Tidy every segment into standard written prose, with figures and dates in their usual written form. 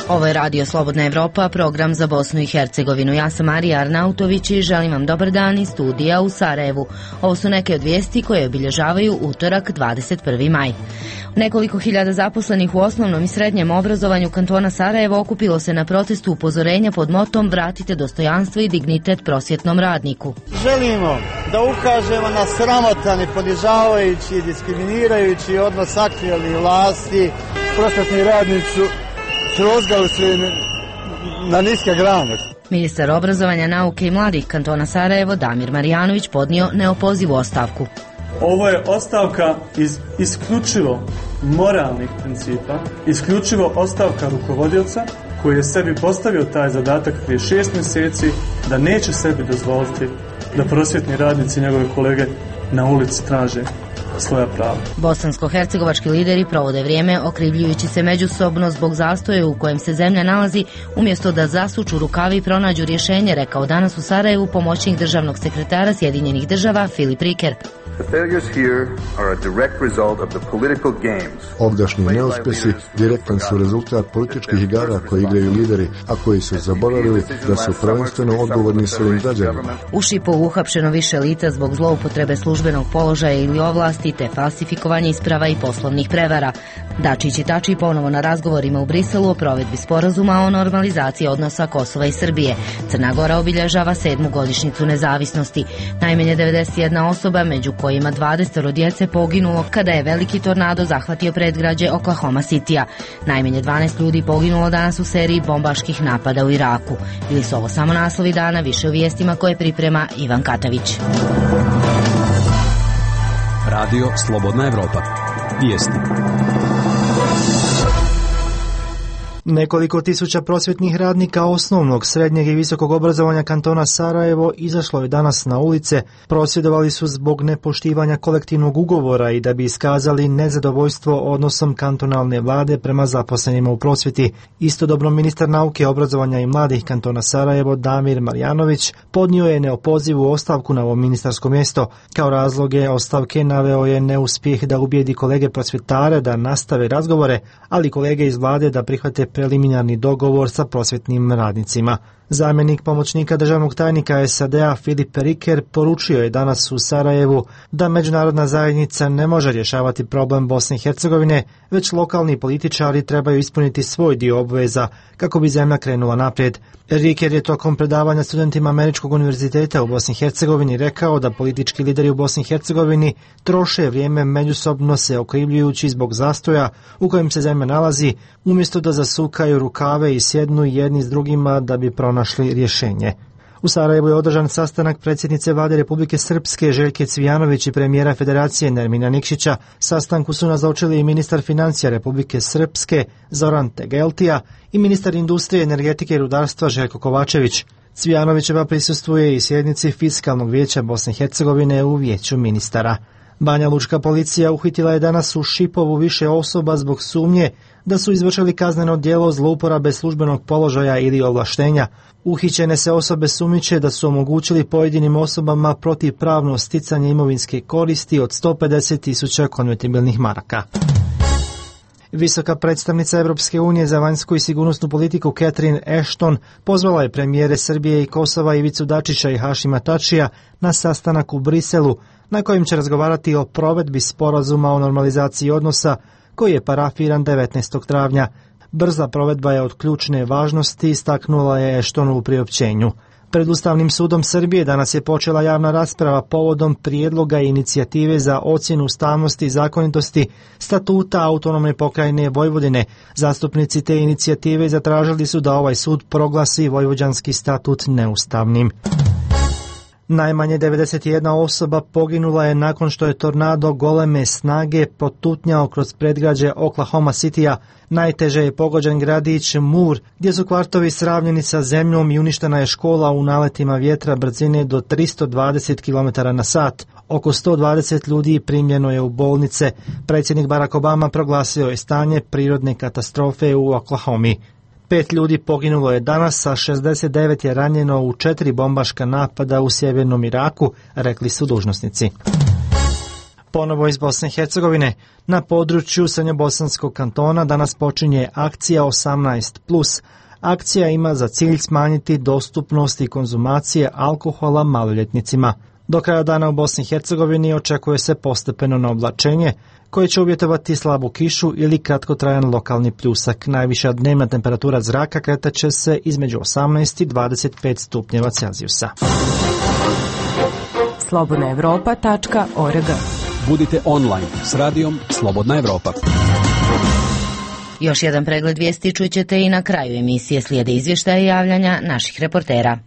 Ovo je Radio Slobodna Evropa, program za Bosnu i Hercegovinu. Ja sam Marija Arnautović i želim vam dobar dan iz studija u Sarajevu. Ovo su neke od vijesti koje obilježavaju utorak 21. maj. Nekoliko hiljada zaposlenih u osnovnom i srednjem obrazovanju kantona Sarajevo okupilo se na protestu upozorenja pod motom Vratite dostojanstvo i dignitet prosvjetnom radniku. Želimo da ukažemo na sramotan i ponižavajući i diskriminirajući odnos aktuelnih vlasti. Prosvjetni radnici su srozgali se na niske grane. Ministar obrazovanja, nauke i mladih kantona Sarajevo Damir Marjanović podnio neopozivu ostavku. Ovo je ostavka iz isključivo moralnih principa, isključivo ostavka rukovodioca koji je sebi postavio taj zadatak prije 6 mjeseci da neće sebi dozvoliti da prosvjetni radnici i njegove kolege na ulici traže svoja prava. Bosansko-hercegovački lideri provode vrijeme okrivljujući se međusobno zbog zastoja u kojem se zemlja nalazi, umjesto da zasuču rukavi i pronađu rješenje, rekao danas u Sarajevu pomoćnik državnog sekretara Sjedinjenih država Filip Riker. Ovdašnji neuspjesi direktan su rezultat političkih igara koje igraju lideri, a koji su zaboravili da su prvenstveno odgovorni svojim građanima. U Šipovu uhapšeno više lica zbog zloupotrebe službenog položaja ili ovlasti te falsifikovanje isprava i poslovnih prevara. Dačić i Tači ponovo na razgovorima u Briselu o provedbi sporazuma o normalizaciji odnosa Kosova i Srbije. Crna Gora obilježava 7. godišnjicu nezavisnosti. Najmanje 91 osoba, među kojima 20 djece, poginulo kada je veliki tornado zahvatio predgrađe Oklahoma Citya. Najmanje 12 ljudi poginulo danas u seriji bombaških napada u Iraku. Bili su ovo samo naslovi dana, više u vijestima koje priprema Ivan Katavić. Radio Slobodna Evropa. Vijesti. Nekoliko tisuća prosvjetnih radnika osnovnog, srednjeg i visokog obrazovanja kantona Sarajevo izašlo je danas na ulice. Prosvjedovali su zbog nepoštivanja kolektivnog ugovora i da bi iskazali nezadovoljstvo odnosom kantonalne vlade prema zaposlenima u prosvjeti. Istodobno ministar nauke, obrazovanja i mladih kantona Sarajevo Damir Marjanović podnio je neopozivu ostavku na ovo ministarsko mjesto. Kao razloge ostavke naveo je neuspjeh da ubijedi kolege prosvjetare da nastave razgovore, ali kolege iz vlade da prihvate preliminarni dogovor sa prosvjetnim radnicima. Zamjenik pomoćnika državnog tajnika SAD-a Filip Riker poručio je danas u Sarajevu da međunarodna zajednica ne može rješavati problem Bosne i Hercegovine, već lokalni političari trebaju ispuniti svoj dio obveza kako bi zemlja krenula naprijed. Riker je tokom predavanja studentima Američkog univerziteta u Bosni i Hercegovini rekao da politički lideri u Bosni i Hercegovini troše vrijeme međusobno se okrivljujući zbog zastoja u kojem se zemlja nalazi, umjesto da zasukaju rukave i sjednu jedni s drugima da bi pronašli rješenje. U Sarajevu je održan sastanak predsjednice vlade Republike Srpske Željke Cvijanović i premijera Federacije Nermina Nikšića. Sastanku su nazočili i ministar financija Republike Srpske Zoran Tegeltija i ministar industrije, energetike i rudarstva Željko Kovačević. Cvijanovićeva prisustvuje i sjednici Fiskalnog vijeća Bosne i Hercegovine u vijeću ministara. Banja Lučka policija uhitila je danas u Šipovu više osoba zbog sumnje da su izvršili kazneno djelo zlouporabe službenog položaja ili ovlaštenja. Uhićene se osobe sumnjiče da su omogućili pojedinim osobama protivpravno sticanje imovinske koristi od 150.000 konvertibilnih maraka. Visoka predstavnica Europske unije za vanjsku i sigurnosnu politiku Catherine Ashton pozvala je premijere Srbije i Kosova Ivicu Dačića i Hašima Tačija na sastanak u Briselu na kojem će razgovarati o provedbi sporazuma o normalizaciji odnosa koji je parafiran 19. travnja. Brza provedba je od ključne važnosti, istaknula je Ashton u priopćenju. Pred Ustavnim sudom Srbije danas je počela javna rasprava povodom prijedloga i inicijative za ocjenu ustavnosti i zakonitosti statuta autonomne pokrajine Vojvodine. Zastupnici te inicijative zatražili su da ovaj sud proglasi vojvođanski statut neustavnim. Najmanje 91 osoba poginula je nakon što je tornado goleme snage protutnjao kroz predgrađe Oklahoma Cityja. Najteže je pogođen gradić Moore, gdje su kvartovi sravnjeni sa zemljom i uništena je škola u naletima vjetra brzine do 320 km/h. Oko 120 ljudi primljeno je u bolnice. Predsjednik Barack Obama proglasio je stanje prirodne katastrofe u Oklahomi. 5 ljudi poginulo je danas, a 69 je ranjeno u 4 bombaška napada u sjevernom Iraku, rekli su dužnosnici. Ponovo iz Bosne i Hercegovine. Na području srednjobosanskog kantona danas počinje akcija 18+. Akcija ima za cilj smanjiti dostupnost i konzumacije alkohola maloljetnicima. Do kraja dana u Bosni i Hercegovini očekuje se postepeno naoblačenje koje će uvjetovati slabu kišu ili kratkotrajan lokalni pljusak. Najviša dnevna temperatura zraka kretat će se između 18 i 25 stupnjeva Celzijusa. slobodnaevropa.org. Budite online s radijom Slobodna Evropa. Još jedan pregled vijesti čućete i na kraju emisije. Slijede izvještaje i javljanja naših reportera.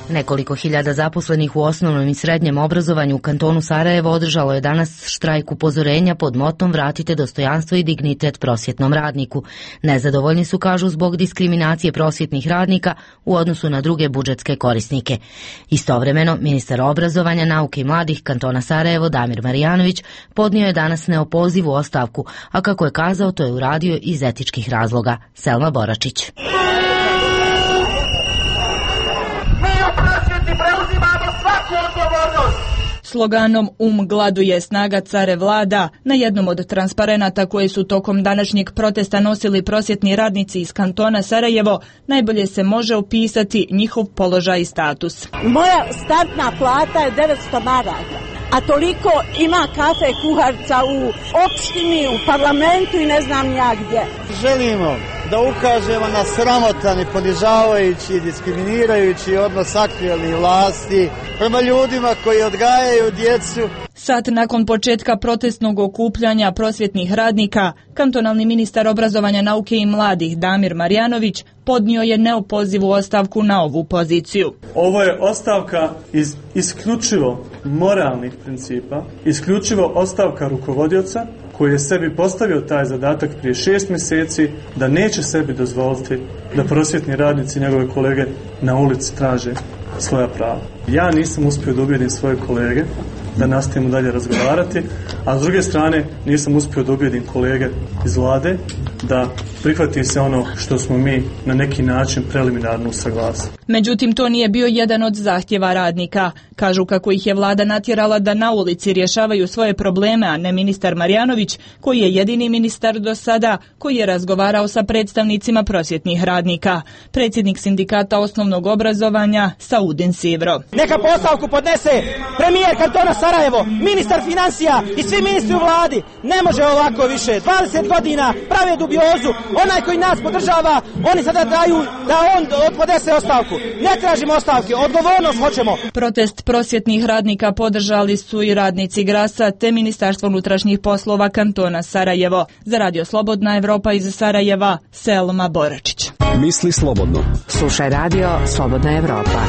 Nekoliko hiljada zaposlenih u osnovnom i srednjem obrazovanju u kantonu Sarajevo održalo je danas štrajk upozorenja pod motom Vratite dostojanstvo i dignitet prosvjetnom radniku. Nezadovoljni su, kažu, zbog diskriminacije prosvjetnih radnika u odnosu na druge budžetske korisnike. Istovremeno, ministar obrazovanja, nauke i mladih kantona Sarajevo Damir Marjanović podnio je danas neopozivu ostavku, a kako je kazao, to je uradio iz etičkih razloga. Selma Boračić. Sloganom gladu je snaga care vlada na jednom od transparenata koje su tokom današnjeg protesta nosili prosvjetni radnici iz kantona Sarajevo najbolje se može opisati njihov položaj i status. Moja startna plata je 900 maraka, a toliko ima kafe kuharca u opštini, u parlamentu i ne znam ja gdje. Želimo da ukažemo na sramotan i ponižavajući i diskriminirajući odnos aktuelnih vlasti prema ljudima koji odgajaju djecu. Sat nakon početka protestnog okupljanja prosvjetnih radnika, kantonalni ministar obrazovanja, nauke i mladih Damir Marjanović podnio je neopozivu ostavku na ovu poziciju. Ovo je ostavka iz isključivo moralnih principa, isključivo ostavka rukovodioca koji je sebi postavio taj zadatak prije 6 mjeseci da neće sebi dozvoliti da prosvjetni radnici i njegove kolege na ulici traže svoja prava. Ja nisam uspio da ubijedim svoje kolege da nastavimo dalje razgovarati, a s druge strane nisam uspio da ubijedim kolege iz vlade da prihvati se ono što smo mi na neki način preliminarno usaglasili. Međutim, to nije bio jedan od zahtjeva radnika. Kažu kako ih je vlada natjerala da na ulici rješavaju svoje probleme, a ne ministar Marjanović, koji je jedini ministar do sada koji je razgovarao sa predstavnicima prosvjetnih radnika. Predsjednik sindikata osnovnog obrazovanja Saudin Sivro. Neka postavku podnese premijer kantona Sarajevo, ministar financija i svi ministri u vladi. Ne može ovako više. 20 godina prave dubiozu. Onaj koji nas podržava, oni sada daju da on podnese ostavku. Ne tražimo ostavke, odgovornost hoćemo. Protest prosvjetnih radnika podržali su i radnici Grasa te Ministarstvo unutrašnjih poslova kantona Sarajevo. Za Radio Slobodna Evropa iz Sarajeva, Selma Boračić. Misli slobodno. Slušaj Radio Slobodna Evropa.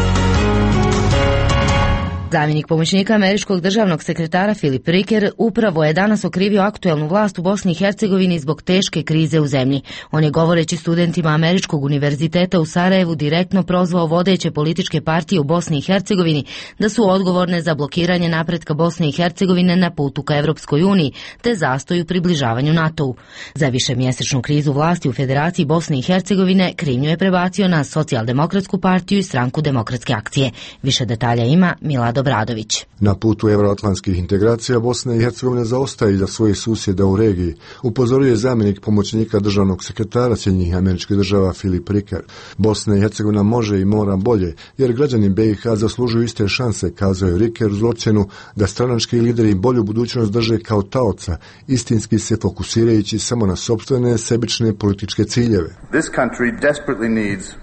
Zamjenik pomoćnika američkog državnog sekretara Filip Riker upravo je danas okrivio aktuelnu vlast u Bosni i Hercegovini zbog teške krize u zemlji. On je, govoreći studentima Američkog univerziteta u Sarajevu, direktno prozvao vodeće političke partije u Bosni i Hercegovini da su odgovorne za blokiranje napretka Bosne i Hercegovine na putu ka Evropskoj uniji te zastoju približavanju NATO-u. Za višemjesečnu krizu vlasti u Federaciji Bosne i Hercegovine krivnju je prebacio na Socijaldemokratsku partiju i Stranku demokratske akcije. Više detalja ima Milad Obradović. Na putu evroatlantskih integracija Bosna i Hercegovina zaostaje iza svojih susjeda u regiji, upozorio je zamjenik pomoćnika državnog sekretara Sjedinjenih Američkih Država Filip Riker. Bosna i Hercegovina može i mora bolje, jer građani BiH zaslužuju iste šanse, kazao je Riker uz ocjenu da stranački lideri bolju budućnost drže kao taoca, istinski se fokusirajući samo na sopstvene sebične političke ciljeve.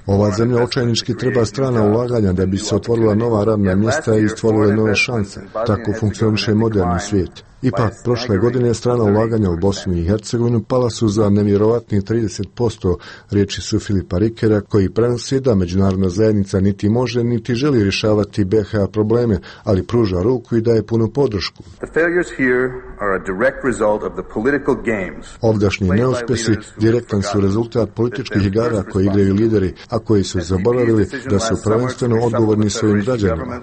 Ova zemlja očajnički treba strana ulaganja da bi se otvorila nova radna mjesta i stvorile nove šanse. Tako funkcioniše moderni svijet. Ipak, prošle godine strana ulaganja u Bosnu i Hercegovinu pala su za nevjerovatnih 30%, riječi su Filipa Rikera, koji prenosi da međunarodna zajednica niti može niti želi rješavati BiH probleme, ali pruža ruku i daje punu podršku. Ovdašnji neuspjesi direktan su rezultat političkih igara koje igraju lideri, a koji su zaboravili da su prvenstveno odgovorni svojim građanima.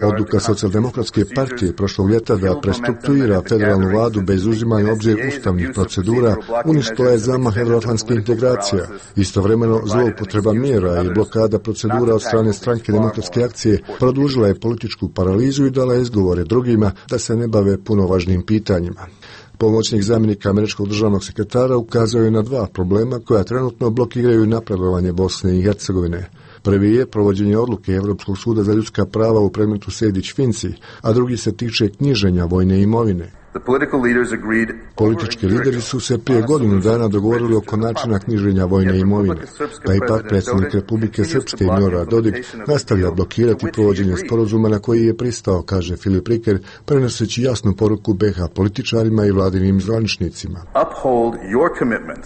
Odluka Socijaldemokratske partije prošlog ljeta da prestrukturira za federalnu vladu bez uzimanja u obzir ustavnih procedura uništila je zamah evroatlantskih integracija. Istovremeno, zloupotreba mjera i blokada procedura od strane Stranke demokratske akcije produžila je političku paralizu i dala izgovore drugima da se ne bave puno važnim pitanjima. Pomoćnik zamjenika američkog državnog sekretara ukazao je na dva problema koja trenutno blokiraju napredovanje Bosne i Hercegovine. Prvi je provođenje odluke Europskog suda za ljudska prava u predmetu Sejdić-Finci, a drugi se tiče knjiženja vojne imovine. Politički lideri su se prije godinu dana dogovorili oko načina knjiženja vojne imovine, pa ipak predsjednik Republike Srpske Milorad Dodik nastavlja blokirati provođenje sporazuma na koji je pristao, kaže Filip Riker, prenoseći jasnu poruku BiH političarima i vladinim zvaničnicima.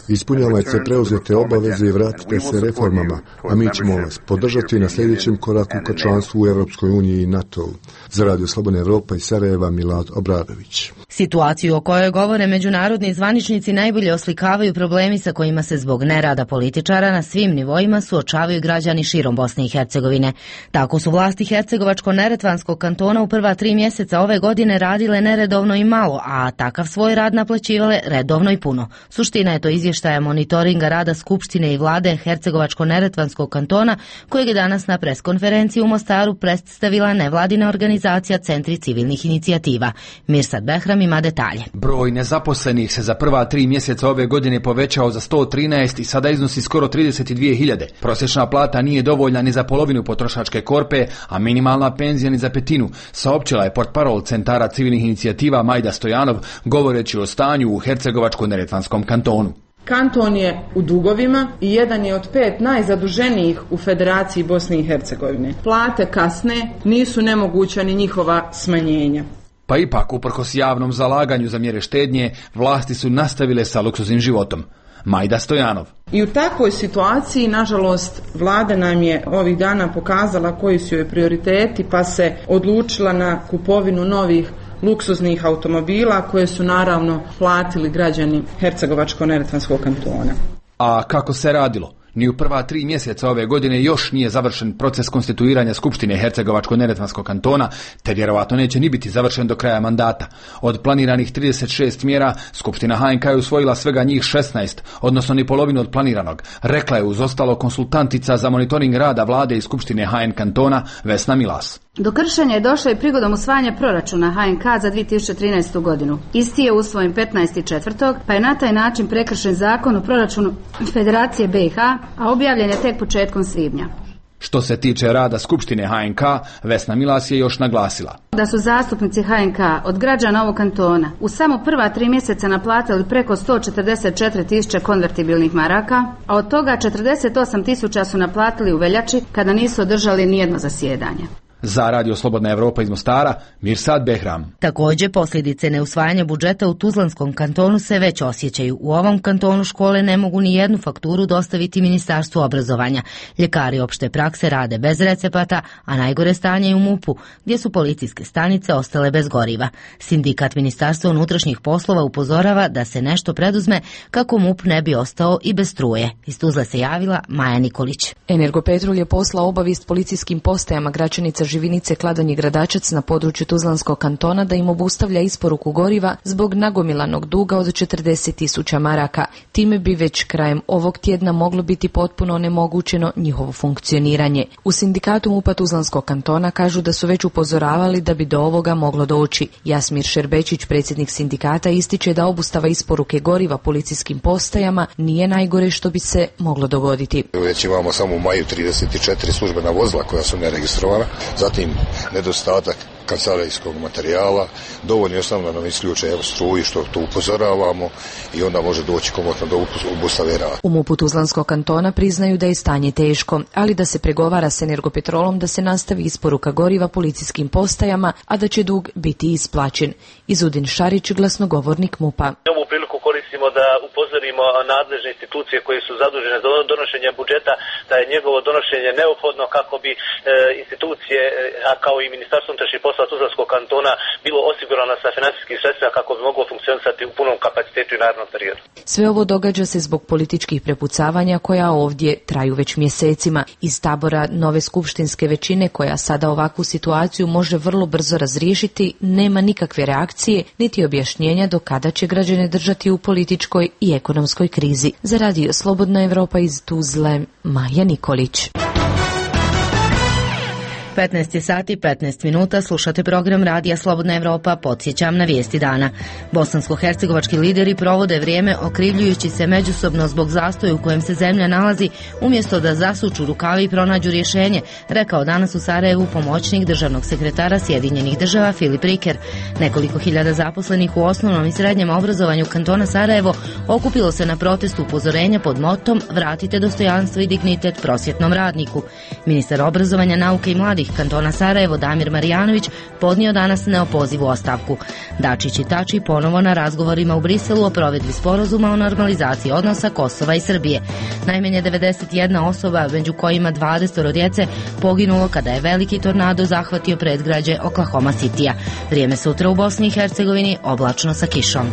Ispunjavajte preuzete obaveze i vratite se reformama, a mi ćemo vas podržati na sljedećem koraku ka članstvu u Europskoj uniji i NATO-u. Za Radio Slobodna Evropa iz Sarajeva, Milad Obradović. Situaciju o kojoj govore međunarodni zvaničnici najbolje oslikavaju problemi sa kojima se zbog nerada političara na svim nivoima suočavaju građani širom Bosne i Hercegovine. Tako su vlasti Hercegovačko-Neretvanskog kantona u prva 3 mjeseca ove godine radile neredovno i malo, a takav svoj rad naplaćivale redovno i puno. Suština je to izvještaja monitoringa rada Skupštine i vlade Hercegovačko-Neretvanskog kantona, kojeg je danas na preskonferenciji u Mostaru predstavila nevladina organizacija Centri civilnih inicijativa. Mirsad Behram ima detalje. Broj nezaposlenih se za prva 3 mjeseca ove godine povećao za 113 i sada iznosi skoro 32.000. Prosječna plata nije dovoljna ni za polovinu potrošačke korpe, a minimalna penzija ni za petinu, saopćila je portparol Centara civilnih inicijativa Majda Stojanov, govoreći o stanju u Hercegovačko-Neretvanskom kantonu. Kanton je u dugovima i jedan je od 5 najzaduženijih u Federaciji Bosne i Hercegovine. Plate kasne, nisu nemoguća ni njihova smanjenja. Pa ipak, uprkos javnom zalaganju za mjere štednje, vlasti su nastavile sa luksuznim životom. Majda Stojanov. I u takvoj situaciji, nažalost, vlada nam je ovih dana pokazala koji su joj prioriteti, pa se odlučila na kupovinu novih luksuznih automobila koje su naravno platili građani Hercegovačko-Neretvanskog kantona. A kako se radilo? Ni u prva 3 mjeseca ove godine još nije završen proces konstituiranja Skupštine Hercegovačko-Neretvanskog kantona, te vjerovatno neće ni biti završen do kraja mandata. Od planiranih 36 mjera, Skupština HNK je usvojila svega njih 16, odnosno ni polovinu od planiranog, rekla je uz ostalo konsultantica za monitoring rada vlade i Skupštine HN kantona Vesna Milas. Do kršenja je došlo i prigodom usvajanja proračuna HNK za 2013. godinu. Isti je usvojen 15.4., pa je na taj način prekršen zakon o proračunu Federacije BiH, a objavljen je tek početkom svibnja. Što se tiče rada Skupštine HNK, Vesna Milas je još naglasila da su zastupnici HNK od građana ovog kantona u samo prva 3 mjeseca naplatili preko 144.000 konvertibilnih maraka, a od toga 48.000 su naplatili u veljači kada nisu održali nijedno zasjedanje. Za Radio Slobodna Evropa iz Mostara, Mirsad Behram. Također, posljedice neusvajanja budžeta u Tuzlanskom kantonu se već osjećaju. U ovom kantonu škole ne mogu ni jednu fakturu dostaviti Ministarstvu obrazovanja. Ljekari opšte prakse rade bez recepata, a najgore stanje je u MUP-u, gdje su policijske stanice ostale bez goriva. Sindikat Ministarstva unutrašnjih poslova upozorava da se nešto preduzme kako MUP ne bi ostao i bez struje. Iz Tuzle se javila Maja Nikolić. Energopetrol je poslao obavijest policijskim postajama Gračanica, Živinice, Kladonj i Gradačac na području Tuzlanskog kantona da im obustavlja isporuku goriva zbog nagomilanog duga od 40.000 maraka. Time bi već krajem ovog tjedna moglo biti potpuno onemogućeno njihovo funkcioniranje. U sindikatu MUP-a Tuzlanskog kantona kažu da su već upozoravali da bi do ovoga moglo doći. Jasmir Šerbečić, predsjednik sindikata, ističe da obustava isporuke goriva policijskim postajama nije najgore što bi se moglo dogoditi. Već imamo samo u maju 34 službena vozila koja su neregistrovana. Zatim nedostatak kancelarijskog materijala, dovoljno jednostavno da nam isključe struju, što tu upozoravamo, i onda može doći komotno do obustave rada. U MUP-u Tuzlanskog kantona priznaju da je stanje teško, ali da se pregovara s Energopetrolom da se nastavi isporuka goriva policijskim postajama, a da će dug biti isplaćen. Izudin Šarić, glasnogovornik MUP-a. Ovu priliku koristimo želimo da upozorimo nadležne institucije koje su zadužene za donošenje budžeta da je njegovo donošenje neophodno kako bi institucije, a kao i Ministarstvo unutrašnjih poslova Tuzlanskog kantona bilo osigurano sa financijskim sredstvima kako bi moglo funkcionisati u punom kapacitetu i narednom periodu. Sve ovo događa se zbog političkih prepucavanja koja ovdje traju već mjesecima. Iz tabora nove skupštinske većine koja sada ovakvu situaciju može vrlo brzo razriješiti, nema nikakve reakcije niti objašnjenja do kada će građane držati u političkoj i ekonomskoj krizi. Za Radio Slobodna Evropa iz Tuzle, Maja Nikolić. 15 sati 15 minuta, slušate program Radija Slobodna Evropa, podsjećam na vijesti dana. Bosansko-hercegovački lideri provode vrijeme okrivljujući se međusobno zbog zastoja u kojem se zemlja nalazi, umjesto da zasuču rukave i pronađu rješenje, rekao danas u Sarajevu pomoćnik državnog sekretara Sjedinjenih država Filip Riker. Nekoliko hiljada zaposlenih u osnovnom i srednjem obrazovanju kantona Sarajevo okupilo se na protestu upozorenja pod motom Vratite dostojanstvo i dignitet prosvjetnom radniku. Ministar obrazovanja, nauke i mladih kantona Sarajevo Damir Marjanović podnio danas neopozivu ostavku. Dačić i Tači ponovo na razgovorima u Briselu o provedbi sporazuma o normalizaciji odnosa Kosova i Srbije. Najmanje 91 osoba, među kojima 20 djece, poginulo kada je veliki tornado zahvatio predgrađe Oklahoma Citya. Vrijeme sutra u Bosni i Hercegovini oblačno sa kišom.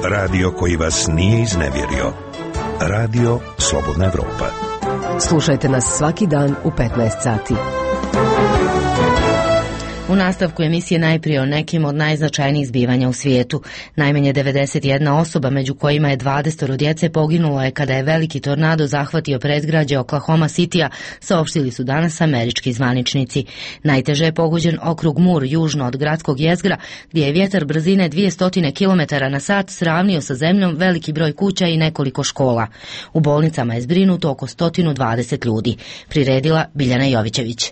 Radio koji vas nije iznevjerio. Radio Slobodna Evropa. Slušajte nas svaki dan u 15 sati. U nastavku emisije najprije o nekim od najznačajnijih zbivanja u svijetu. Najmanje 91 osoba, među kojima je 20 djece, poginulo je kada je veliki tornado zahvatio predgrađe Oklahoma Citya, saopštili su danas američki zvaničnici. Najteže je pogođen okrug Moore, južno od gradskog jezgra, gdje je vjetar brzine 200 km na sat sravnio sa zemljom veliki broj kuća i nekoliko škola. U bolnicama je zbrinuto oko 120 ljudi. Priredila Biljana Jovićević.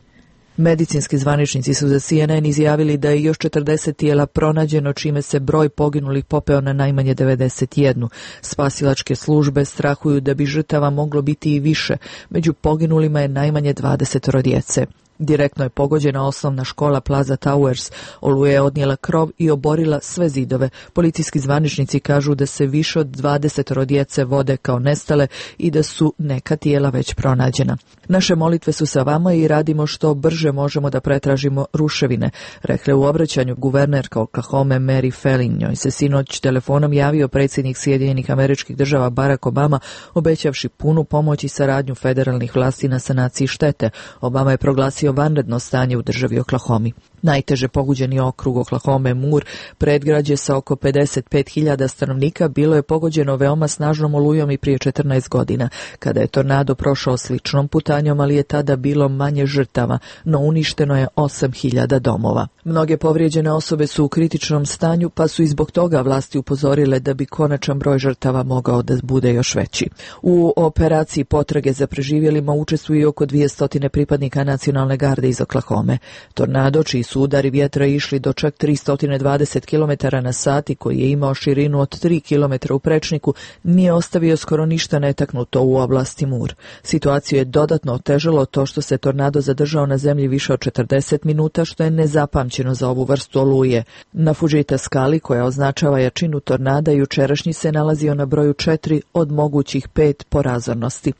Medicinski zvaničnici su za CNN izjavili da je još 40 tijela pronađeno, čime se broj poginulih popeo na najmanje 91. Spasilačke službe strahuju da bi žrtava moglo biti i više. Među poginulima je najmanje 20 djece. Direktno je pogođena osnovna škola Plaza Towers. Oluja je odnijela krov i oborila sve zidove. Policijski zvaničnici kažu da se više od 20 djece vode kao nestale i da su neka tijela već pronađena. Naše molitve su sa vama i radimo što brže možemo da pretražimo ruševine, rekla u obraćanju guvernerka Oklahome Mary Felling. Njoj se sinoć telefonom javio predsjednik Sjedinjenih Američkih Država Barack Obama, obećavši punu pomoć i saradnju federalnih vlasti na sanaciji štete. Obama je proglasio vanredno stanje u državi Oklahomi. Najteže pogođeni okrug Oklahome Moore, predgrađe sa oko 55.000 stanovnika, bilo je pogođeno veoma snažnom olujom i prije 14 godina, kada je tornado prošao sličnom putanjom, ali je tada bilo manje žrtava, no uništeno je 8.000 domova. Mnoge povrijeđene osobe su u kritičnom stanju, pa su i zbog toga vlasti upozorile da bi konačan broj žrtava mogao da bude još veći. U operaciji potrage za preživjelima učestvuju oko 200 pripadnika nacionalne garde iz Oklahome. Tornado, čiji su udari vjetra išli do čak 320 km na sat i koji je imao širinu od 3 km u prečniku, nije ostavio skoro ništa netaknuto u oblasti Moore. Situaciju je dodatno otežalo to što se tornado zadržao na zemlji više od 40 minuta, što je nezapamćeno za ovu vrstu oluje. Na Fujita skali, koja označava jačinu tornada, jučerašnji se nalazio na broju 4 od mogućih 5 po razornosti.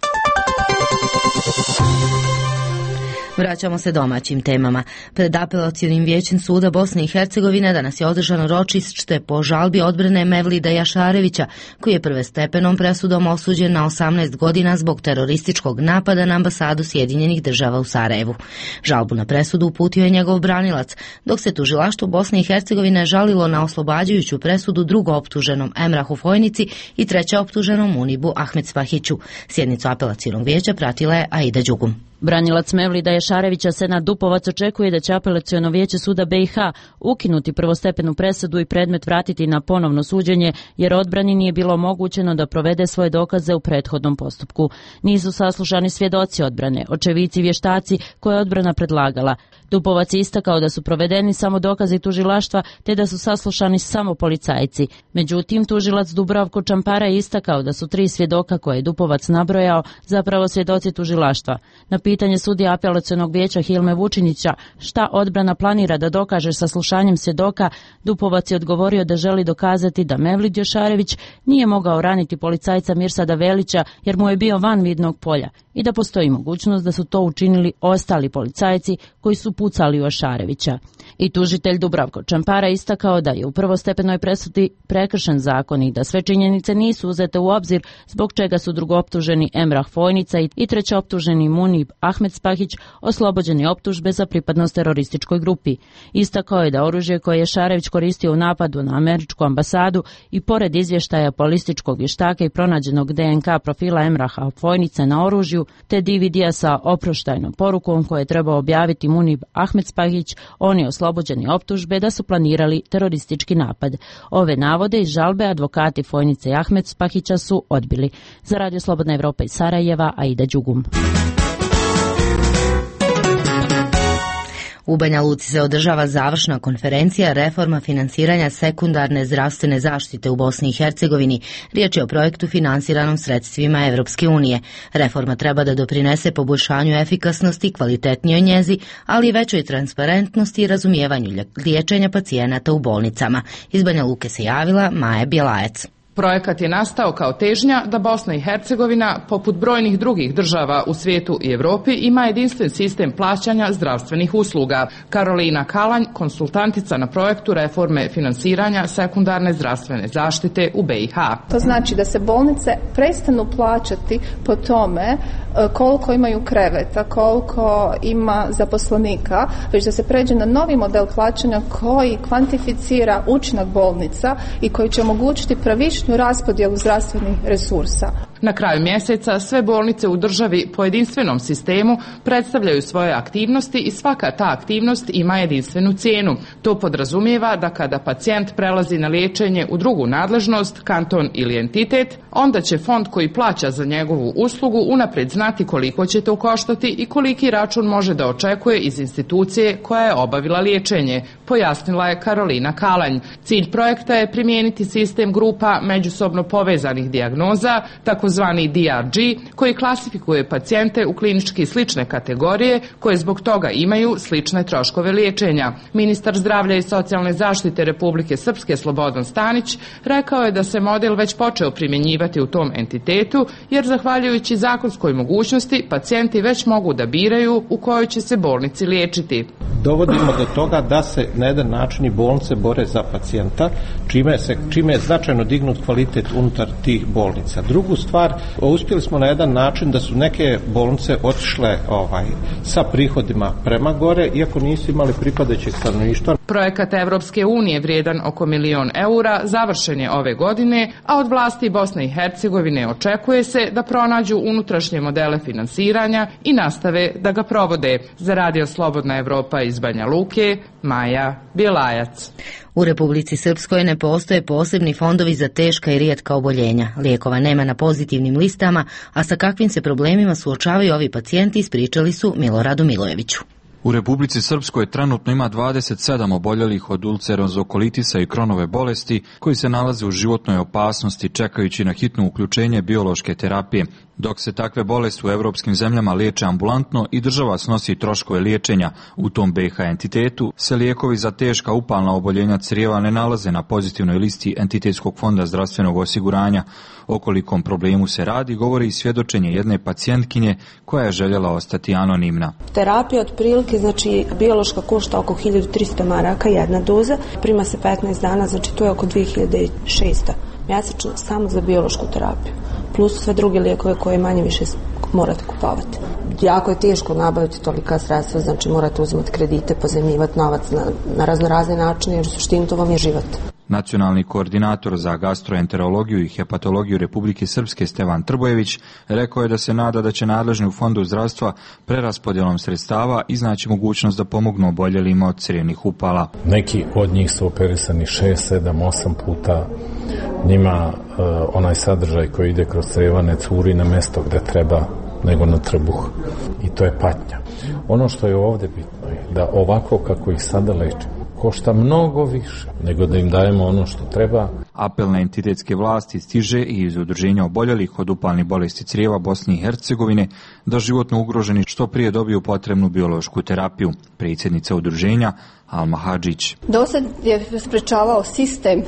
Vraćamo se domaćim temama. Pred apelacionim vijećem suda Bosne i Hercegovine danas je održano ročište po žalbi odbrane Mevlida Jašarevića, koji je prvostepenom presudom osuđen na 18 godina zbog terorističkog napada na ambasadu Sjedinjenih država u Sarajevu. Žalbu na presudu uputio je njegov branilac, dok se tužilaštvo Bosne i Hercegovine žalilo na oslobađajuću presudu drugooptuženom Emrahu Fojnici i trećeoptuženom Munibu Ahmed Spahiću. Sjednicu apelacionog vijeća pratila je Aida Đugum. Branilac Mevlida Jašarevića, Senad Dupovac, očekuje da će apelaciono vijeće suda BiH ukinuti prvostepenu presudu i predmet vratiti na ponovno suđenje, jer odbrani nije bilo omogućeno da provede svoje dokaze u prethodnom postupku. Nisu saslušani svjedoci odbrane, očevici i vještaci koje je odbrana predlagala. Dupovac je istakao da su provedeni samo dokazi tužilaštva te da su saslušani samo policajci. Međutim, tužilac Dubravko Čampara je istakao da su 3 svjedoka koje je Dupovac nabrojao zapravo svjedoci tužilaštva. Na pitanje sudija apelacionog vijeća Hilme Vučinića šta odbrana planira da dokaže saslušanjem svjedoka, Dupovac je odgovorio da želi dokazati da Mevlid Jošarević nije mogao raniti policajca Mirsada Velića jer mu je bio van vidnog polja i da postoji mogućnost da su to učinili ostali policajci koji su pucali u Jošarevića. I tužitelj Dubravko Čampara istakao da je u prvostepenoj presudi prekršen zakon i da sve činjenice nisu uzete u obzir, zbog čega su drugooptuženi Emrah Fojnica i trećeoptuženi Munib Ahmed Spahić oslobođeni optužbe za pripadnost terorističkoj grupi. Istakao je da oružje koje je Šarević koristio u napadu na američku ambasadu i pored izvještaja balističkog vještaka i pronađenog DNK profila Emraha Fojnice na oružju, te DVD-a sa oproštajnom porukom koje je trebao objaviti Munib Ahmed Spahić, on je oslobođeni optužbe da su planirali teroristički napad. Ove navode iz žalbe advokati Fojnice i Ahmed Spahića su odbili. Za Radio Slobodna Evropa iz Sarajeva, Aida Đugum. U Banja Luci se održava završna konferencija reforma finansiranja sekundarne zdravstvene zaštite u Bosni i Hercegovini. Riječ je o projektu finansiranom sredstvima Evropske unije. Reforma treba da doprinese poboljšanju efikasnosti, kvalitetnijoj njezi, ali i većoj transparentnosti i razumijevanju liječenja pacijenata u bolnicama. Iz Banja Luke se javila Maja Bjelajac. Projekat je nastao kao težnja da Bosna i Hercegovina, poput brojnih drugih država u svijetu i Europi, ima jedinstven sistem plaćanja zdravstvenih usluga. Karolina Kalanj, konsultantica na projektu reforme finansiranja sekundarne zdravstvene zaštite u BiH. To znači da se bolnice prestanu plaćati po tome koliko imaju kreveta, koliko ima zaposlenika, već da se pređe na novi model plaćanja koji kvantificira učinak bolnica i koji će omogućiti pravičnu raspodjelu zdravstvenih resursa. Na kraju mjeseca sve bolnice u državi po jedinstvenom sistemu predstavljaju svoje aktivnosti i svaka ta aktivnost ima jedinstvenu cijenu. To podrazumijeva da kada pacijent prelazi na liječenje u drugu nadležnost, kanton ili entitet, onda će fond koji plaća za njegovu uslugu unaprijed znati koliko će to koštati i koliki račun može da očekuje iz institucije koja je obavila liječenje, pojasnila je Karolina Kalanj. Cilj projekta je primijeniti sistem grupa međusobno povezanih dijagnoza, takozvani DRG, koji klasifikuje pacijente u klinički slične kategorije koje zbog toga imaju slične troškove liječenja. Ministar zdravlja i socijalne zaštite Republike Srpske Slobodan Stanić rekao je da se model već počeo primjenjivati u tom entitetu, jer zahvaljujući zakonskoj mogućnosti pacijenti već mogu da biraju u kojoj će se bolnici liječiti. Dovodimo do toga da se na jedan način i bolnice bore za pacijenta, čime je značajno dignut kvalitet unutar tih bolnica. Drugu stvar, uspjeli smo na jedan način da su neke bolnice otišle sa prihodima prema gore, iako nisu imali pripadajućeg stanovništva. Projekat Evropske unije vrijedan oko 1 milion eura završen je ove godine, a od vlasti Bosne i Hercegovine očekuje se da pronađu unutrašnje modele finansiranja i nastave da ga provode. Za Radio Slobodna Evropa iz Banja Luke, Maja Bjelajac. U Republici Srpskoj ne postoje posebni fondovi za teška i rijetka oboljenja. Lijekova nema na pozitivnim listama, a sa kakvim se problemima suočavaju ovi pacijenti ispričali su Miloradu Milojeviću. U Republici Srpskoj trenutno ima 27 oboljelih od ulcerozokolitisa i Kronove bolesti koji se nalaze u životnoj opasnosti čekajući na hitno uključenje biološke terapije. Dok se takve bolesti u evropskim zemljama liječe ambulantno i država snosi troškove liječenja u tom BiH entitetu, se lijekovi za teška upalna oboljenja crijeva ne nalaze na pozitivnoj listi Entitetskog fonda zdravstvenog osiguranja. O kolikom problemu se radi govori i svjedočenje jedne pacijentkinje koja je željela ostati anonimna. Terapija otprilike, znači biološka košta oko 1300 maraka jedna doza, prima se 15 dana, znači to je oko 2600 mjesečno samo za biološku terapiju. Plus sve druge lijekove koje manje više morate kupovati. Jako je teško nabaviti tolika sredstva, znači morate uzimati kredite, pozajmljivati novac na raznorazne načine, jer u suštini to vam je život. Nacionalni koordinator za gastroenterologiju i hepatologiju Republike Srpske Stevan Trbojević rekao je da se nada da će nadležni u Fondu zdravstva preraspodjelom sredstava iznaći mogućnost da pomognu oboljelima od crijevnih upala. Neki od njih su operisani 6, 7, 8 puta. Njima onaj sadržaj koji ide kroz crijevo ne curi na mjesto gdje treba, nego na trbuh. I to je patnja. Ono što je ovdje bitno je da ovako kako ih sada lečimo, košta mnogo više nego da im dajemo ono što treba. Apel na entitetske vlasti stiže i iz udruženja oboljelih od upalnih bolesti crijeva Bosne i Hercegovine da životno ugroženi što prije dobiju potrebnu biološku terapiju. Predsjednica udruženja Alma Hadžić. Dosad je sprečavao sistem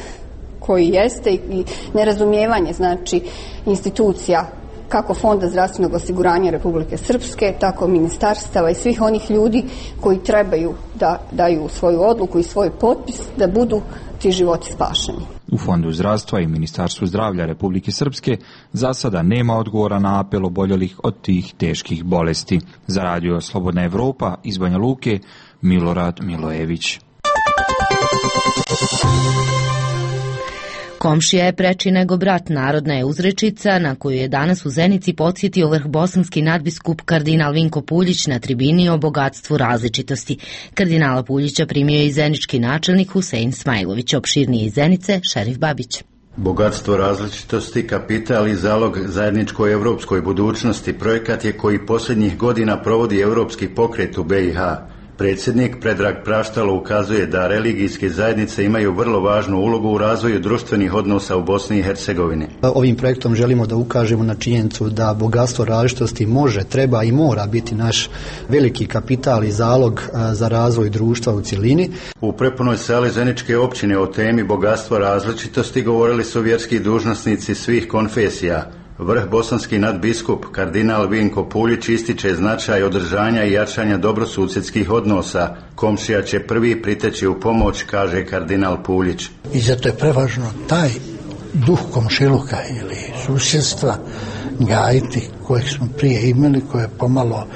koji jeste i nerazumijevanje, znači, institucija kako Fonda zdravstvenog osiguranja Republike Srpske, tako ministarstava i svih onih ljudi koji trebaju da daju svoju odluku i svoj potpis da budu ti životi spašeni. U Fondu zdravstva i Ministarstvu zdravlja Republike Srpske za sada nema odgovora na apel oboljelih od tih teških bolesti. Za radio Slobodna Evropa iz Banja Luke, Milorad Milojević. Komšija je preči nego brat, narodna je uzrečica na koju je danas u Zenici podsjetio vrhbosanski nadbiskup kardinal Vinko Puljić na tribini o bogatstvu različitosti. Kardinala Puljića primio je i zenički načelnik Husein Smajlović, opširniji iz Zenice, Šerif Babić. Bogatstvo različitosti, kapital i zalog zajedničkoj evropskoj budućnosti projekat je koji posljednjih godina provodi Europski pokret u BiH. Predsjednik Predrag Praštalo ukazuje da religijske zajednice imaju vrlo važnu ulogu u razvoju društvenih odnosa u Bosni i Hercegovini. Ovim projektom želimo da ukažemo na činjenicu da bogatstvo različitosti može, treba i mora biti naš veliki kapital i zalog za razvoj društva u cjelini. U prepunoj sali Zeničke općine o temi bogatstva različitosti govorili su vjerski dužnosnici svih konfesija. Vrh bosanski nadbiskup kardinal Vinko Puljić ističe značaj održanja i jačanja dobrosusjedskih odnosa. Komšija će prvi priteći u pomoć, kaže kardinal Puljić. I zato je prevažno taj duh komšiluka ili susjedstva gajiti kojeg smo prije imali, koje je pomalo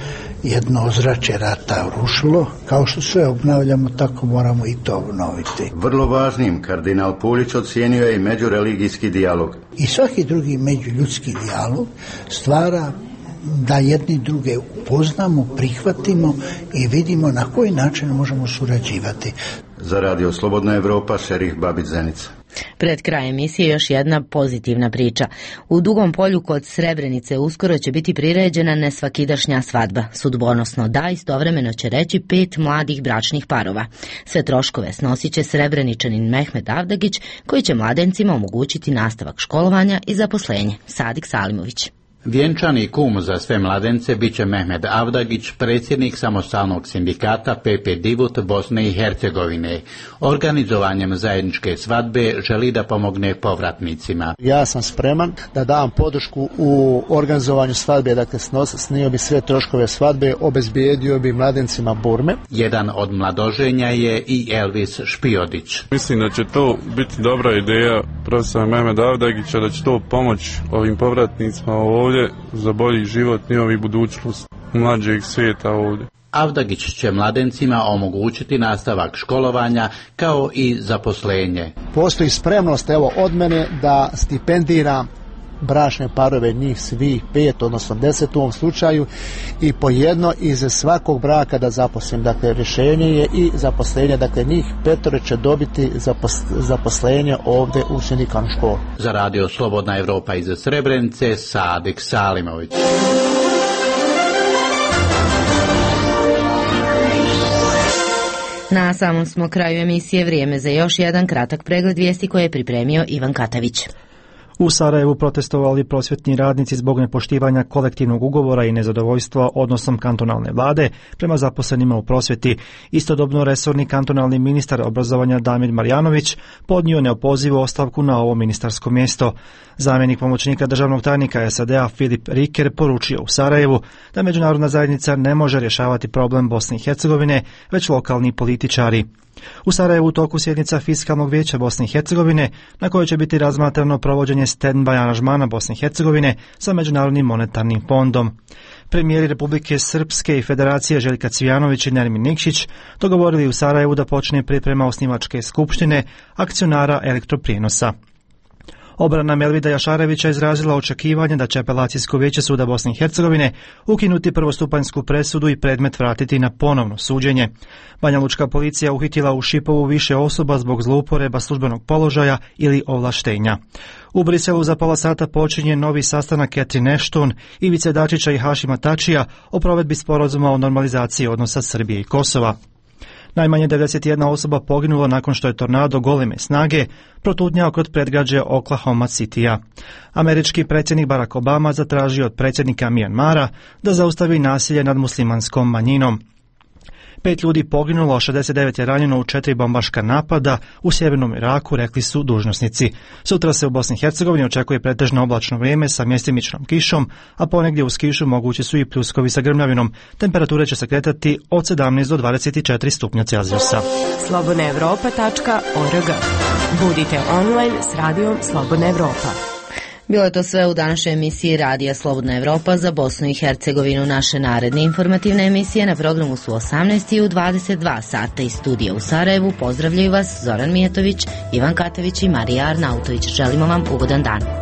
jedno ozračje rata urušilo. Kao što sve obnavljamo, tako moramo i to obnoviti. Vrlo važnim kardinal Puljić ocijenio je i međureligijski dijalog. I svaki drugi međuljudski dijalog stvara da jedni druge upoznamo, prihvatimo i vidimo na koji način možemo surađivati. Za radio Slobodna Evropa, Šerif Babić, Zenica. Pred krajem emisije još jedna pozitivna priča. U Dugom Polju kod Srebrenice uskoro će biti priređena nesvakidašnja svadba. Sudbonosno da, istovremeno će reći 5 mladih bračnih parova. Sve troškove snosit će Srebreničanin Mehmet Avdagić, koji će mladencima omogućiti nastavak školovanja i zaposlenje. Sadik Salimović. Vjenčani kum za sve mladence bit će Mehmet Avdagić, predsjednik samostalnog sindikata PP Divut Bosne i Hercegovine. Organizovanjem zajedničke svadbe želi da pomogne povratnicima. Ja sam spreman da dam podršku u organizovanju svadbe, dakle snio bi sve troškove svadbe, obezbijedio bi mladencima burme. Jedan od mladoženja je i Elvis Špiodić. Mislim da će to biti dobra ideja profesora Mehmeta Avdagića, da će to pomoći ovim povratnicima ovdje za bolji život i budućnost mlađeg svijeta ovdje. Avdagić će mladencima omogućiti nastavak školovanja kao i zaposlenje. Postoji spremnost od mene da stipendira bračne parove, njih svih 5, odnosno 10 u ovom slučaju, i po jedno iz svakog braka da zaposlim. Dakle, rješenje je i zaposlenje, dakle njih 5 će dobiti zaposlenje ovdje u sindikalnu školu. Za radio Slobodna Evropa iz Srebrenice, Sadik Salimović. Na samom smo kraju emisije, vrijeme za još jedan kratak pregled vijesti koje je pripremio Ivan Katavić. U Sarajevu protestovali prosvjetni radnici zbog nepoštivanja kolektivnog ugovora i nezadovoljstva odnosom kantonalne vlade prema zaposlenima u prosvjeti. Istodobno resorni kantonalni ministar obrazovanja Damir Marjanović podnio neopozivu ostavku na ovo ministarsko mjesto. Zamjenik pomoćnika državnog tajnika SAD-a Filip Riker poručio u Sarajevu da međunarodna zajednica ne može rješavati problem Bosne i Hercegovine, već lokalni političari. U Sarajevu u toku sjednica Fiskalnog vijeća Bosne i Hercegovine, na kojoj će biti razmatrano provođenje stand-by aranžmana Bosne i Hercegovine sa Međunarodnim monetarnim fondom. Premijeri Republike Srpske i Federacije Željka Cvijanović i Nermin Nikšić dogovorili u Sarajevu da počne priprema osnivačke skupštine akcionara elektroprijenosa. Obrana Melvida Jašarevića izrazila očekivanje da će apelacijsko vijeće suda Bosne i Hercegovine ukinuti prvostupanjsku presudu i predmet vratiti na ponovno suđenje. Banjalučka policija uhitila u Šipovu više osoba zbog zlouporaba službenog položaja ili ovlaštenja. U Briselu za pola sata počinje novi sastanak Catherine Ashton, Ivice Dačića i Hašima Tačija o provedbi sporazuma o normalizaciji odnosa Srbije i Kosova. Najmanje 91 osoba poginulo nakon što je tornado goleme snage protutnjao kod predgrađa Oklahoma Citya. Američki predsjednik Barack Obama zatražio od predsjednika Mijanmara da zaustavi nasilje nad muslimanskom manjinom. 5 ljudi poginulo, 69 je ranjeno u 4 bombaška napada u sjevernom Iraku, rekli su dužnosnici. Sutra se u Bosni i Hercegovini očekuje pretežno oblačno vrijeme sa mjestimičnom kišom, a ponegdje uz kišu mogući su i pljuskovi sa grmljavinom. Temperature će se kretati od 17 do 24 stupnja Celzijusa. slobodnaevropa.org. Budite online s radijom Slobodna Evropa. Bilo je to sve u današnjoj emisiji Radija Slobodna Evropa za Bosnu i Hercegovinu. Naše naredne informativne emisije na programu su 18 i u 22 sata iz studija u Sarajevu. Pozdravljaju vas Zoran Mijetović, Ivan Katević i Marija Arnautović. Želimo vam ugodan dan.